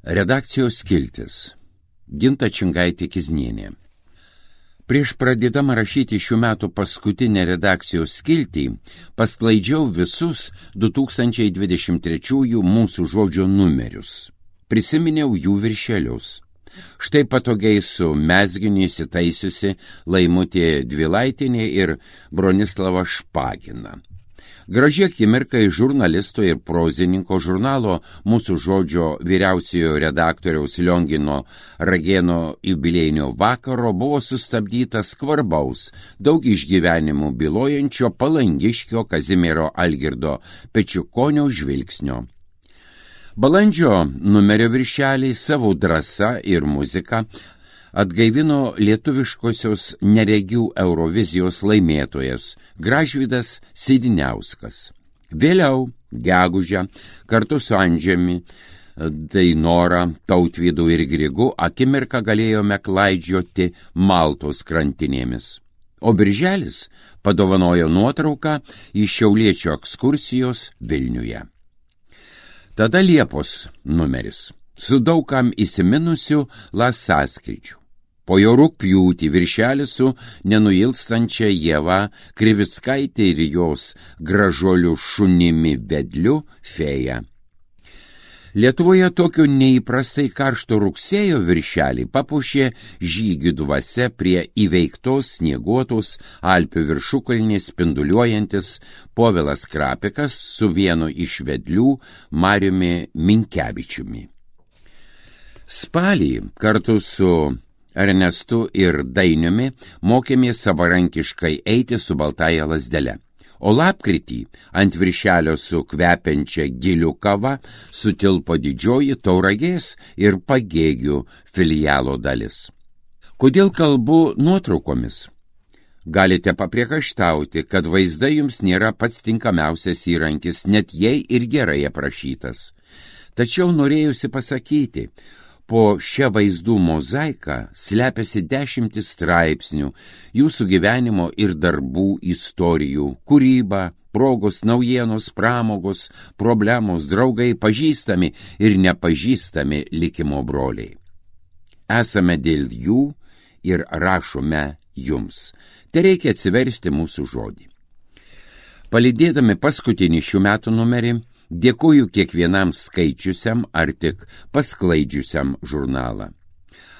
Redakcijos skiltis. Ginta Čingaitė-Kiznienė. Prieš pradėdama rašyti šių metų paskutinę redakcijos skiltį, pasklaidžiau visus 2023 Mūsų žodžio numerius. Prisiminiau jų viršelius. Štai patogiai su mezginiu įsitaisiusi Laimutė Dvilaitienė ir Bronislava Špagina. Graži akimirka iš žurnalisto ir prozininko žurnalo Mūsų žodžio vyriausiojo redaktoriaus Liongino Ragėno jubiliejinio vakaro buvo sustabdytas skvarbaus, daug išgyvenimų bylojančio Palangiškio Kazimiero Algirdo Pečiukonio žvilgsnio. Balandžio numerio viršeliai savo drąsa ir muzika atgaivino lietuviškosios neregių Eurovizijos laimėtojas Gražvydas Sidiniauskas. Vėliau, gegužę, kartu su Andžiami, Dainora, Tautvydu ir Grigu akimirką galėjome klaidžioti Maltos krantinėmis. O birželis padovanojo nuotrauką iš šiauliečio ekskursijos Vilniuje. Tada Liepos numeris su daugam įsiminusiu Lasaskričiu. Po jo rugpjūtį viršelis su nenuilstančia Ieva Krivickaitė ir jos gražuoliu šunimi vedliu Fėja. Lietuvoje tokio neįprastai karšto rugsėjo viršelį papuošė žygių dvasia prie įveiktos snieguotos Alpių viršukalnės spinduliuojantis Povilas Krapikas su vienu iš vedlių Mariumi Minkevičiumi. Spalį kartu su Ernestu ir Dainiumi mokėmės savarankiškai eiti su baltaja lazdele, o lapkritį ant viršelio su kvepiančia gilių kava sutilpo didžioji Tauragės ir Pagėgių filialo dalis. Kodėl kalbu nuotraukomis? Galite papriekaištauti, kad vaizdai jums nėra pats tinkamiausias įrankis, net jei ir gerai aprašytas. Tačiau norėjusi pasakyti, po šią vaizdų mozaiką slepiasi 10 straipsnių, jūsų gyvenimo ir darbų istorijų, kūryba, progos, naujienos, pramogos, problemos, draugai, pažįstami ir nepažįstami likimo broliai. Esame dėl jų ir rašome jums. Tereikia atsiversti Mūsų žodį. Palydėdami paskutinį šių metų numerį, dėkoju kiekvienam skaičiusiam ar tik pasklaidžiusiam žurnalą.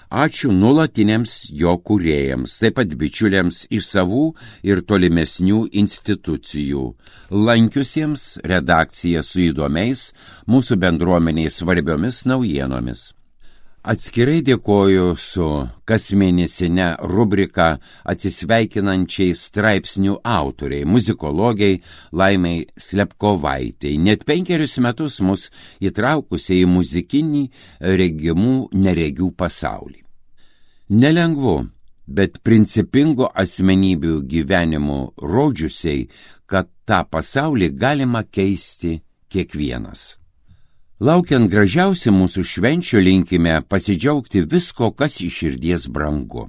Ačiū nuolatiniams jo kūrėjams, taip pat bičiuliams iš savų ir tolimesnių institucijų, lankiusiems redakciją su įdomiais mūsų bendruomeniai svarbiomis naujienomis. Atskirai dėkoju su kasmėnesinė rubrika atsisveikinančiai straipsnių autoriai, muzikologiai Laimai Slepkovaitei, net 5 metus mus įtraukusiai į muzikinį regimų neregių pasaulį. Nelengvu, bet principingo asmenybių gyvenimų rodžiusiai, kad tą pasaulį galima keisti kiekvienas. Laukiant gražiausių mūsų švenčių linkime pasidžiaugti visko, kas iš širdies brangu.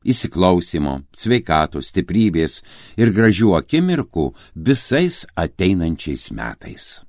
Įsiklausimo, sveikatos, stiprybės ir gražių akimirkų visais ateinančiais metais.